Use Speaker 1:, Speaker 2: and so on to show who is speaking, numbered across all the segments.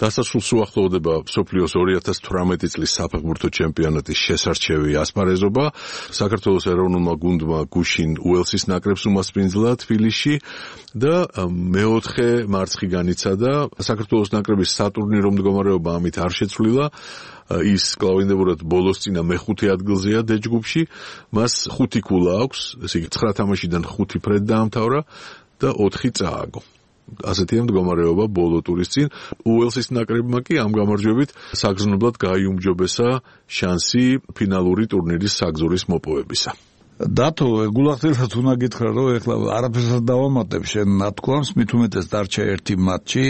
Speaker 1: დასასრულს უახლოვდება მსოფლიოს 2018 წლის საფეხბურთო ჩემპიონატის შესარჩევი ასპარეზობა. საქართველოს ეროვნულმა გუნდმა გუშინ უელსის ნაკრებს უმასპინძლა თბილისში და მეოთხე მარცხი განიცადა. საქართველოს ნაკრების სატურნირო მდგომარეობა ამით არ შეცვლილა. ის კლავინდებურად ბოლოსწინა მეხუთე ადგილზეა დეჯგუფში. მას 5 ქულა აქვს, ესე იგი 9 თამაშიდან 5 ფრედ დაამთავრა და 4 წააგო. ასეთია მდგომარეობა ბოლო ტურის წინ. უელსის ნაკრებმა კი ამ გამარჯვებით საგრძნობლად გაიუმჯობესა შანსი ფინალური ტურნირის საგზურის მოპოვებისა.
Speaker 2: დათო, გულახდილად უნდა გითხრა, რომ ეხლა არაფერს არ დავამატებ შენ ნათქვამს, მით უმეტეს დარჩა ერთი მატჩი.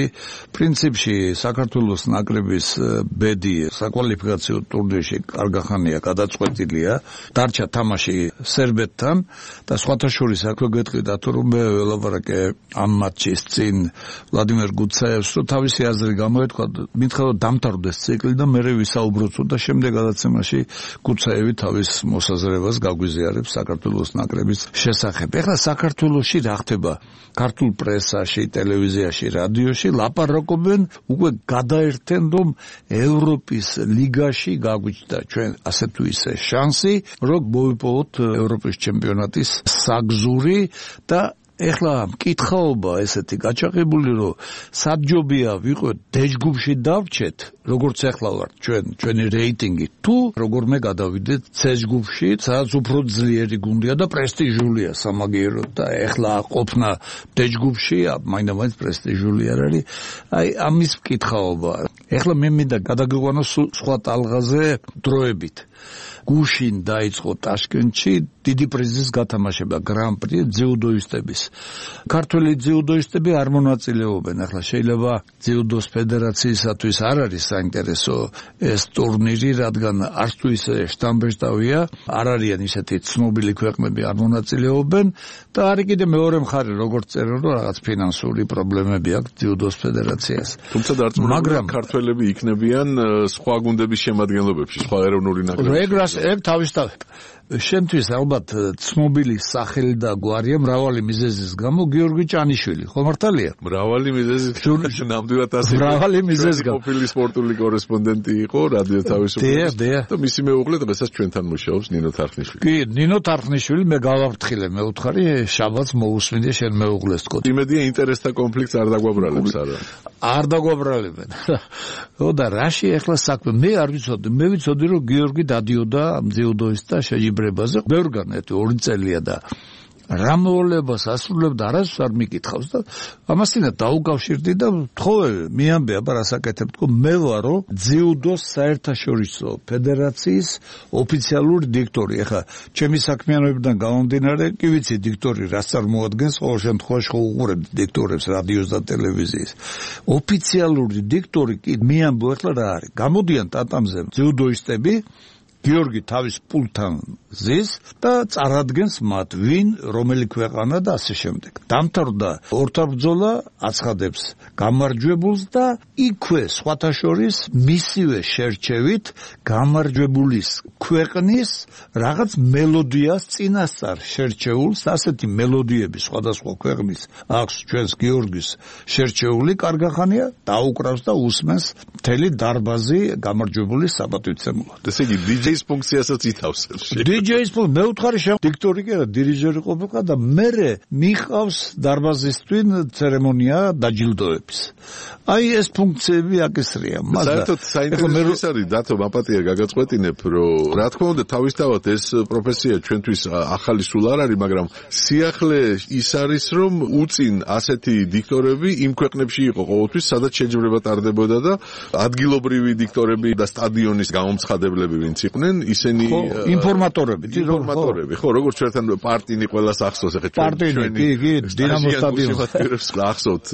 Speaker 2: პრინციპში საქართველოს ნაკრების ბედი საკვალიფიკაციო ტურნირში კარგახანია გადაწყვეტილია. დარჩა თამაში სერბეთთან და სხვათა შორის აქვე გეტყვი დათო, რომ მე ველაპარაკე ამ მატჩის წინ ვლადიმერ გუცაევს, რომ თავისი აზრი გამოეთქვა, მითხრა რომ დამთავრდეს ციკლი და მერე ვისაუბროთ და შემდეგ გადაცემაში გუცაევი თავის მოსაზრებას გაგვიზიარებს საქართველოს ნაკრების შესახებ. ეხლა საქართველოში რა ხდება? ქართულ პრესაში, ტელევიზიაში, რადიოში ლაპარაკობენ, უკვე გადაერთენ, რომ ევროპის ლიგაში გაგვიჩნდა ჩვენ ასე თუ ისე შანსი, რომ მოვიპოვოთ ევროპის ჩემპიონატის საგზური და ეხლა მკითხაობა ესეთი გაჩაღებული, რომ საჯობია ვიყოთ დეჯგუფში დავრჩეთ, როგორც ეხლა ვართ ჩვენი რეიტინგი, თუ როგორმე გადავიდეთ ცეჯგუფში, სადაც უფრო ძლიერი გუნდია და პრესტიჟულია სამაგიეროდ და ეხლა ყოფნა დეჯგუფში მაინდა-მაინც პრესტიჟული არ არის. აი ამის მკითხაობა. ეხლა მე მინდა გადაგიყვანო სხვა ტალღაზე დროებით. გუშინ დაიწყო ტაშკენტში დიდი პრიზის გათამაშება გრან-პრი ძიუდოისტების. ქართველი ძიუდოისტები არ მონაწილეობენ. ახლა შეიძლება ძიუდოს ფედერაციისათვის არ არის საინტერესო ეს ტურნირი, რადგან არც თუ ისე შტამბეშტავია, არ არიან ისეთი ცნობილი ქვეყნები არ მონაწილეობენ და არის კიდე მეორე მხარე, როგორც წერენ, რომ რაღაც ფინანსური პრობლემები აქვს ძიუდოს ფედერაციას.
Speaker 1: თუმცა დარწმუნებული ქართველები იქნებიან სხვა გუნდების შემადგენლობებში, სხვა ეროვნული ნაკრებებში.
Speaker 2: ეგ თავისთავად. შენთვის ალბათ ცნობილი სახელი და გვარია მრავალი მიზეზის გამო გიორგი ჭანიშვილი, ხო მართალია?
Speaker 1: მრავალი მიზეზის ნამდვილად ასე.
Speaker 2: მრავალი მიზეზის გამო.
Speaker 1: ყოფილი სპორტული კორესპონდენტი იყო რადიო თავისუფლების და მისი მეუღლე დღესაც ჩვენთან მუშაობს ნინო თარხნიშვილი.
Speaker 2: კი, ნინო თარხნიშვილი მე გავაფრთხილე, მე ვთხარი შაბათს მოусმინე შენ მეუღლეს თქო.
Speaker 1: იმედია ინტერესთა კონფლიქტს არ დაგვაბრალებს არა.
Speaker 2: არ დაგვაბრალებენ. ხო და რაში ახლა საქმე? მე არ ვიცოდი, მე ვიცოდი რომ გიორგი დადიოდა ძიუდოისტთა შეჯიბრებაზე. ბევრგან 2 წელია და რა მოვლებას ასრულებდა არასდროს არ მიკითხავს და ამასინა დაუკავშირდი და თხოვე მიამბე აბა რასაკეთებ თქო მე ვარო ძიუდოს საერთაშორისო ფედერაციის ოფიციალური დიქტორი. ახლა ჩემი საქმიანობიდან გამომდინარე კი ვიცი დიქტორი რას წარმოადგენს, ყოველ შემთხვევაში ხო უყურებთ დიქტორებს რადიოს და ტელევიზიის. ოფიციალური დიქტორი კი მიამბო ახლა რა არის. გამოდიან ტატამზე ძიუდოისტები გიორგი თავის პულთან ზის და წარადგენს მათ ვინ, რომელი ქვეყანა და ასე შემდეგ. დამთავრდა ორთაბრძოლა, აცხადებს გამარჯვებულს და იქვე სხვათა შორის მისივე შერჩევით გამარჯვებულის ქვეყნის რაღაც მელოდიას წინასწარ შერჩეულს, ასეთი მელოდიები სხვადასხვა ქვეყნის აქვს ჩვენს გიორგის შერჩეული კარგახანია, დაუკრავს და უსმენს მთელი დარბაზი გამარჯვებულის საბატვიცემულად.
Speaker 1: ესე იგი DJ-ის ფუნქციასაც ითავსებს.
Speaker 2: DJ-ის მე ვთხარი შენ დიქტორი კი არა, დირიჟორი ყოფილიყო და მერე მიყავს დარბაზისთვის ცერემონია დაჯილდოების. აი ეს ფუნქციები აკისრია.
Speaker 1: საერთოდ საინტერესო არის დათო მაპატია გაგაწყვეტინებ, რომ რა თქმა უნდა თავისთავად ეს პროფესია ჩვენთვის ახალი სულ არ არის, მაგრამ სიახლე ის არის, რომ უწინ ასეთი დიქტორები იმ ქვეყნებში იყო ყოველთვის, სადაც შეჯიბრება ტარდებოდა და ადგილობრივი დიქტორები და სტადიონის გამომცხადებლები ვინც იყვნენ, ისინი
Speaker 2: ინფორმატორები,
Speaker 1: ხო, როგორც ჩვენთან პარტინი ყველას ახსოვს, ახლა
Speaker 2: პარტინი, კი, დინამო სტადიონს
Speaker 1: ახსოვთ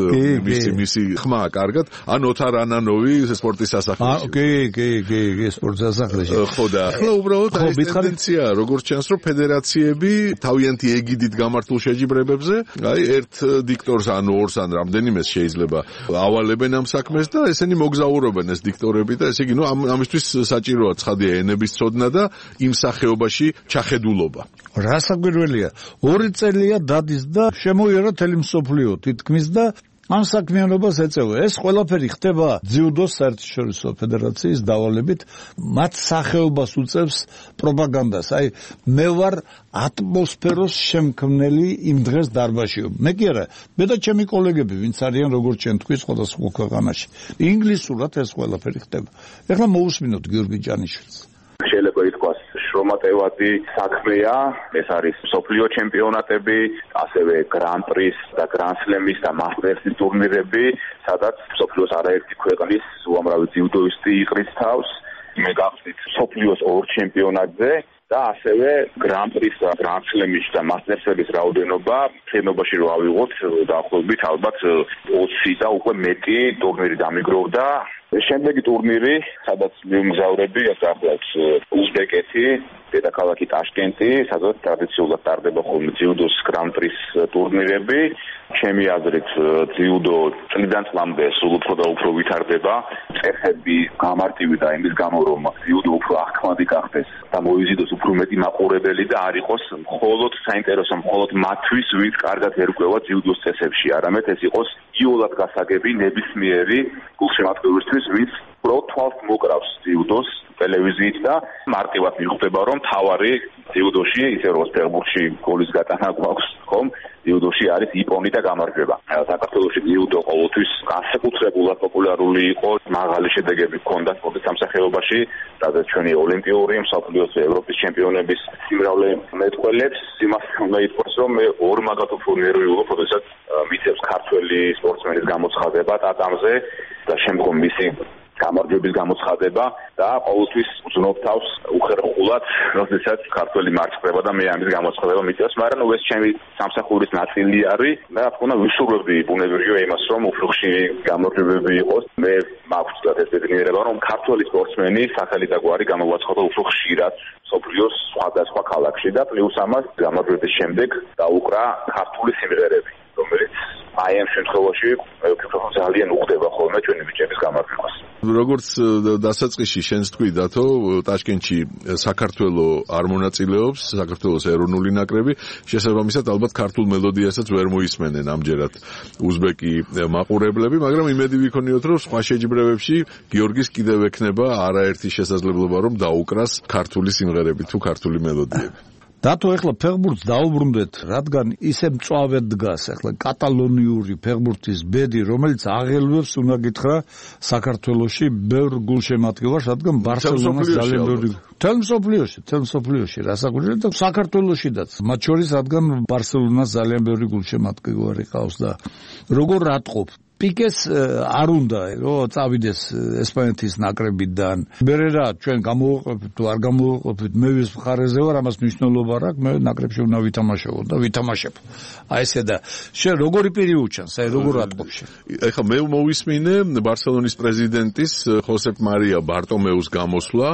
Speaker 1: მისი ხმა კარგად, ან ოთარ ანანოვი სპორტის სასახლეში.
Speaker 2: კი, სპორტის სასახლეში.
Speaker 1: ხო და ახლა უბრალოდ ეს ტენდენციაა, როგორც ჩანს, რომ ფედერაციები თავიანთი ეგიდით გამართულ შეჯიბრებებზე, აი ერთ დიქტორს ან ორს ან რამდენიმეს შეიძლება ავალებენ ამ საქმეს და ესენი მოგზაურობენ ეს დიქტორები და ესე იგი, ამისთვის საჭიროა ცხადია ენების ცოდნა და იმ სახეობაში ჩახედულობა.
Speaker 2: რა საგვირველია, 2 წელია დადის და შემოიარა მთელი მსოფლიო თითქმის და ამ საქმიანობას ეწევა. ეს ყველაფერი ხდება ძიუდოს საერთაშორისო ფედერაციის დავალებით, მათ სახეობას უწევს პროპაგანდას. აი მე ვარ ატმოსფეროს შემქმნელი იმ დღეს დარბაზში. მე კი არა, მე და ჩემი კოლეგები, ვინც არიან როგორც ჩვენ თქვი სხვადასხვა ქვეყანაში. ინგლისურად ეს ყველაფერი ხდება. ეხლა მოусმინოთ გიორგი ჯანიშვილს.
Speaker 3: შეიძლება ითქვას შრომატევადი საქმეა, ეს არის მსოფლიო ჩემპიონატები, ასევე გრან-პრის და გრან-სლემის და მასტერსის ტურნირები, სადაც მსოფლიოს არაერთი ქვეყნის უამრავი ძიუდოისტი იყრის თავს. მე გავხდით მსოფლიოს ორ ჩემპიონატზე და ასევე გრან-პრის და გრან-სლემის და მასტერსების რაოდენობა შენობაში რო ავიღოთ, დაახლოებით ალბათ 20 და უკვე მეტი ტურნირი დამიგროვდა. შემდეგი ტურნირი, სადაც მიმგზავრები, ახლა უზბეკეთი, დედაქალაქი ტაშკენტი, სადაც ტრადიციულად ტარდება ხოლმე ძიუდოს გრან-პრის ტურნირები. ჩემი აზრით, ძიუდო წლიდან წლამდე სულ უფრო და უფრო ვითარდება. წესები გამარტივდა იმის გამო, რომ ძიუდო უფრო აღქმადი გახდეს და მოიზიდოს უფრო მეტი მაყურებელი და არ იყოს მხოლოდ საინტერესო, მხოლოდ მათთვის, ვინც კარგად ერკვევა ძიუდოს წესებში, არამედ ეს იყოს იოლად გასაგები ნებისმიერი გულშემატკივრისთვის, ვინც პროთვალს მოკრავს ძიუდოს ტელევიზიით და მარტივად მიხვდება, რომ თავარი ძიუდოში, ისე როგორც ფეხბურთში გოლის გატანა გვაქვს, ხომ? ძიუდოში არის იპონი და გამარჯვება. საქართველოში ძიუდო ყოველთვის განსაკუთრებულად პოპულარული იყო, მაღალი შედეგები ჰქონდა სპორტის სამსახიობაში, სადაც ჩვენი ოლიმპიური, მსოფლიოს, ევროპის ჩემპიონების სიმრავლე მეტყველებს. იმას უნდა ითქვას, რომ მე ორ მაგათ უფრო ნერვიულობ, როდესაც მიწევს ქართველი სპორტსმენის გამოცხადება ტატამზე და შემდგომ მისი გამარჯვების გამოცხადება და ყოველთვის ვზნობ თავს უხერხულად, როდესაც ქართველი მარცხდება და მე ამის გამოცხადება მიწევს, მაგრამ ეს ჩემი სამსახურის ნაწილი არის და რა თქმა უნდა ვისურვებდი ბუნებრივია იმას, რომ უფრო ხშირი გამარჯვებები იყოს. მე მაქვს ეს ბედნიერება, რომ ქართველი სპორტსმენი სახელი და გვარი გამოვაცხადა უფრო ხშირად მსოფლიოს სხვადასხვა ქალაქში და პლუს ამას გამარჯვების შემდეგ დაუკრა ქართული სიმღერები, რომელიც აი ამ შემთხვევაში ძალიან უხდება ხოლმე ჩვენი ბიჭების გამარჯვებას.
Speaker 1: როგორც დასაწყისში შენს თქვი დათო, ტაშკენტში საქართველო არ მონაწილეობს, საქართველოს ეროვნული ნაკრები, შესაბამისად ალბათ ქართულ მელოდიასაც ვერ მოისმენენ ამჯერად უზბეკი მაყურებლები, მაგრამ იმედი ვიქონიოთ, რომ სხვა შეჯიბრებებში გიორგის კიდევ ექნება არაერთი შესაძლებლობა, რომ დაუკრას ქართული სიმღერები თუ ქართული მელოდიები.
Speaker 2: დათო, ეხლა ფეხბურთს დაუბრუნდეთ, რადგან ისე მწვავედ დგას ეხლა კატალონიური ფეხბურთის ბედი, რომელიც აღელვებს უნდა გითხრა საქართველოში ბევრ გულშემატკივარს, რადგან ბარსელონას ძალიან ბევრი თელ მსოფლიოში რასაკვირველია და საქართველოშიდაც, მათ შორის რადგან ბარსელონას ძალიან ბევრი გულშემატკივარი ყავს და როგორ რატყობ პიკეს არ უნდა რომ წავიდეს ესპანეთის ნაკრებიდან. მერე ჩვენ გამოვაყოფით თუ არ გამოვაყოფით, მე ვის მხარეზე ვარ, ამას მნიშვნელობა არ აქვს, მე ნაკრებში უნდა ვითამაშო და ვითამაშებ. აი ესე და შენ როგორი პირი უჩანს, აი როგორ ატყობ შენ?
Speaker 1: ეხლა მე მოვისმინე ბარსელონის პრეზიდენტის ხოსეფ მარია ბარტომეუს გამოსვლა,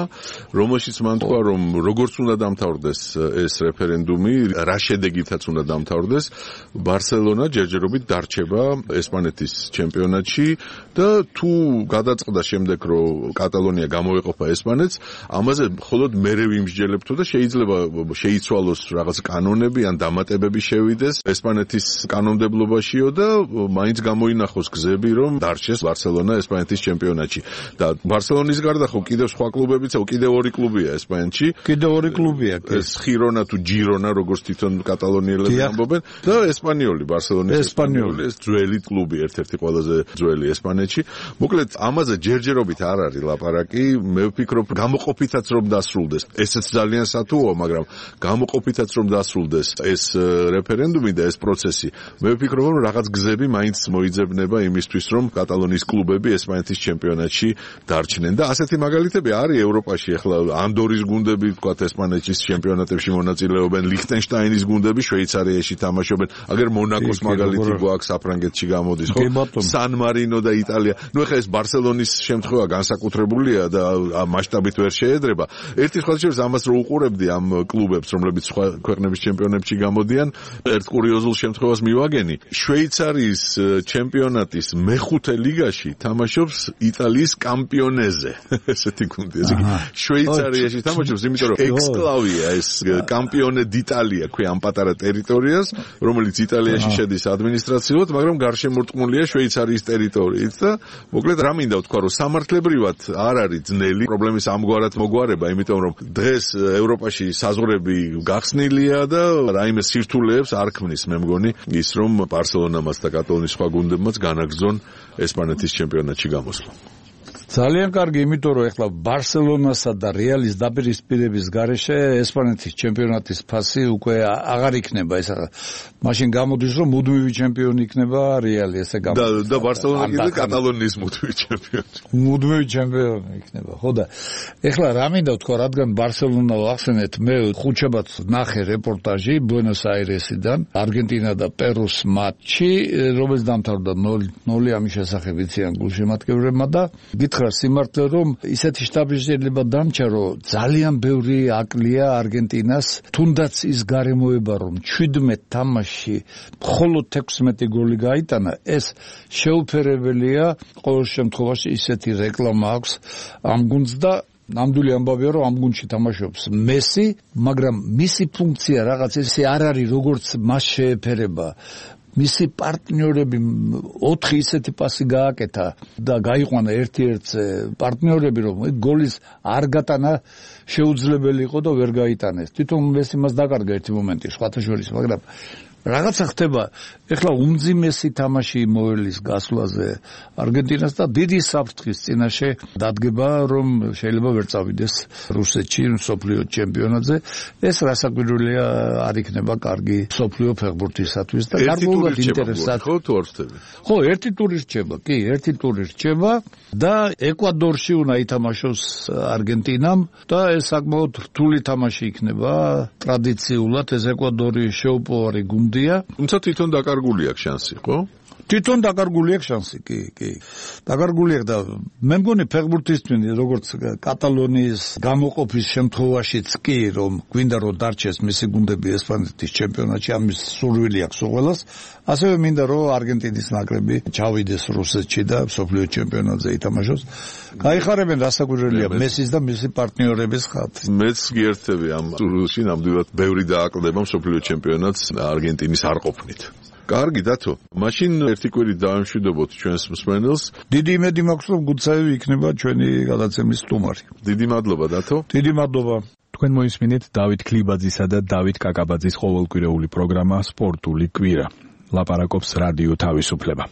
Speaker 1: რომელშიც მან თქვა, რომ როგორც უნდა დამთავრდეს ეს რეფერენდუმი, რა შედეგითაც უნდა დამთავრდეს, ბარსელონა ჯერჯერობით დარჩება ესპანეთის ჩემპიონატში და თუ გადაწყდა შემდეგ რომ კატალონია გამოეყოფა ესპანეთს, ამაზე მხოლოდ მერე ვიმსჯელებთო და შეიძლება შეიცვალოს რაღაც კანონები ან დამატებები შევიდეს ესპანეთის კანონმდებლობაშიო და მაინც გამოინახოს გზები რომ დარჩეს ბარსელონა ესპანეთის ჩემპიონატში. და ბარსელონის გარდა ხო კიდევ სხვა კლუბებიც, კიდევ ორი კლუბია ესპანეთში.
Speaker 2: კიდევ ორი კლუბია.
Speaker 1: ეს ხირონა თუ ჯირონა, როგორც თვითონ კატალონიელები ამბობენ და ესპანიოლი, ბარსელონის ესპანიოლი, ეს ძველი კლუბი, ერთ-ერთი ყველაზე ძველი ესპანეთში. მოკლედ ამაზე ჯერჯერობით არ არის ლაპარაკი, მე ვფიქრობ გამოყოფითაც რომ დასრულდეს. ესეც ძალიან სათუოა, მაგრამ გამოყოფითაც რომ დასრულდეს ეს რეფერენდუმი და ეს პროცესი, მე ვფიქრობ რომ რაღაც გზები მაინც მოიძებნება იმისთვის რომ კატალონიის კლუბები ესპანეთის ჩემპიონატში დარჩნენ და ასეთი მაგალითები არის ევროპაში. ახლა ანდორის გუნდები თქვათ ესპანეთის ჩემპიონატებში მონაწილეობენ, ლიხტენშტაინის გუნდები შვეიცარიაში თამაშობენ, აგერ მონაკოს მაგალითი გვაქვს საფრანგეთში გამოდის, ხო? სან მარინო და იტალია. ნუ ეხლა ეს ბარსელონის შემთხვევა განსაკუთრებულია და მასშტაბით ვერ შეედრება. ერთი სხვა შორის ამას რო უყურებდი ამ კლუბებს, რომლებიც სხვა ქვეყნების ჩემპიონატებში გამოდიან, ერთ კურიოზულ შემთხვევას მივაგენი. შვეიცარიის ჩემპიონატის მეხუთე ლიგაში თამაშობს იტალიის კამპიონეზე. ესეთი გუნდი, ესე იგი შვეიცარიაში თამაშობს, იმიტომ რომ ექსკლავია ეს კამპიონე d'Italia ქვია ამ პატარა ტერიტორიას, რომელიც იტალიაში შედის ადმინისტრაციულად, მაგრამ გარშემორტყმულია შვეიცარიის ტერიტორიით და მოკლედ რა მინდა ვთქვა, რომ სამართლებრივად არ არის ძნელი პრობლემის ამგვარად მოგვარება, იმიტომ რომ დღეს ევროპაში საზღვრები გახსნილია და რაიმე სირთულეებს არ ქმნის, მე მგონი, ის რომ ბარსელონამაც და კატალონიის სხვა გუნდებმაც განაგრძონ ესპანეთის ჩემპიონატში გამოსვლა.
Speaker 2: ძალიან კარგი, იმიტომ რომ ეხლა ბარსელონასა და რეალის დაპირისპირების გარეშე ესპანეთის ჩემპიონატის ფასი უკვე აღარ იქნება, ეს მაშინ გამოდის რომ მუდმივი ჩემპიონი იქნება რეალი, ესე გამოდის.
Speaker 1: და ბარსელონა კიდე კატალონიის მუდმივი ჩემპიონი.
Speaker 2: მუდმივი ჩემპიონი იქნება. ხო და ეხლა რა მინდა ვთქვა, რადგან ბარსელონა ახსენეთ, მე ხუთშაბათს ნახე რეპორტაჟი ბუენოს-აირესიდან, არგენტინა და პერუს მატჩი, რომელიც დამთავრდა 0-0 ამის შესახებ იციან გულშემატკივრებმა და გითხრა სიმართლე რომ ისეთი შტაბი შეიძლება დამჭა რომ ძალიან ბევრი აკლია არგენტინას თუნდაც ის გარემოება რომ 17 თამაშში მხოლოდ 16 გოლი გაიტანა ეს შეუფერებელია ყოველ შემთხვევაში ისეთი რეკლამა აქვს ამ გუნდს და ნამდვილი ამბავია რომ ამ გუნდში თამაშობს მესი მაგრამ მისი ფუნქცია რაღაც ესე არ არის როგორც მას შეეფერება მისი პარტნიორები 4 ისეთი პასი გააკეთა და გაიყვანა ერთ-ერთზე პარტნიორები რომ გოლის არ გატანა შეუძლებელი იყო და ვერ გაიტანეს. თვითონ მესი მას დაკარგა ერთი მომენტი სხვათა შორის, მაგრამ რაღაცა ხდება, ეხლა უმძიმესი თამაში მოელის გასვლაზე არგენტინას და დიდი საფრთხის წინაშე დადგება, რომ შეიძლება ვერ წავიდეს რუსეთში მსოფლიო ჩემპიონატზე. ეს რასაკვირველია არ იქნება კარგი მსოფლიო ფეხბურთისათვის და გარკვეულად ინტერესად.
Speaker 1: ხო, თუ არ ვთქვი.
Speaker 2: ხო, ერთი ტური რჩება, კი, ერთი ტური რჩება და ეკვადორში უნდა ითამაშოს არგენტინამ და ეს საკმაოდ რთული თამაში იქნება. ტრადიციულად ეს ეკვადორი შეუპოვარი გუნდია.
Speaker 1: თუმცა თვითონ დაკარგული აქვს შანსი, ხო?
Speaker 2: თვითონ დაკარგული აქვს შანსი, კი. დაკარგული აქვს და მე მგონი ფეხბურთისტვინი როგორც კატალონიის გამოყოფის შემთხვევაშიც კი რომ გვინდა რომ დარჩეს მისი გუნდები ესპანეთის ჩემპიონატში, ამის სურვილი აქვს უყველას, ასევე მინდა რომ არგენტინის ნაკრები ჩავიდეს რუსეთში და მსოფლიო ჩემპიონატზე ითამაშოს. გაიხარებენ რასაკვირველია მესის და მისი პარტნიორების ხალხს.
Speaker 1: მეც გიერთები ამ სურვილში, ნამდვილად ბევრი დააკლდება მსოფლიო ჩემპიონატს არგენტინის არ ყოფნით. კარგი დათო, მაშინ ერთი კვირით დავემშვიდობოთ ჩვენს მსმენელს.
Speaker 2: დიდი იმედი მაქვს რომ გუცაევი იქნება ჩვენი გადაცემის სტუმარი.
Speaker 1: დიდი მადლობა დათო.
Speaker 2: დიდი მადლობა.
Speaker 4: თქვენ მოისმინეთ დავით ქლიბაძისა და დავით კაკაბაძის ყოველკვირეული პროგრამა სპორტული კვირა. ლაპარაკობს რადიო თავისუფლება.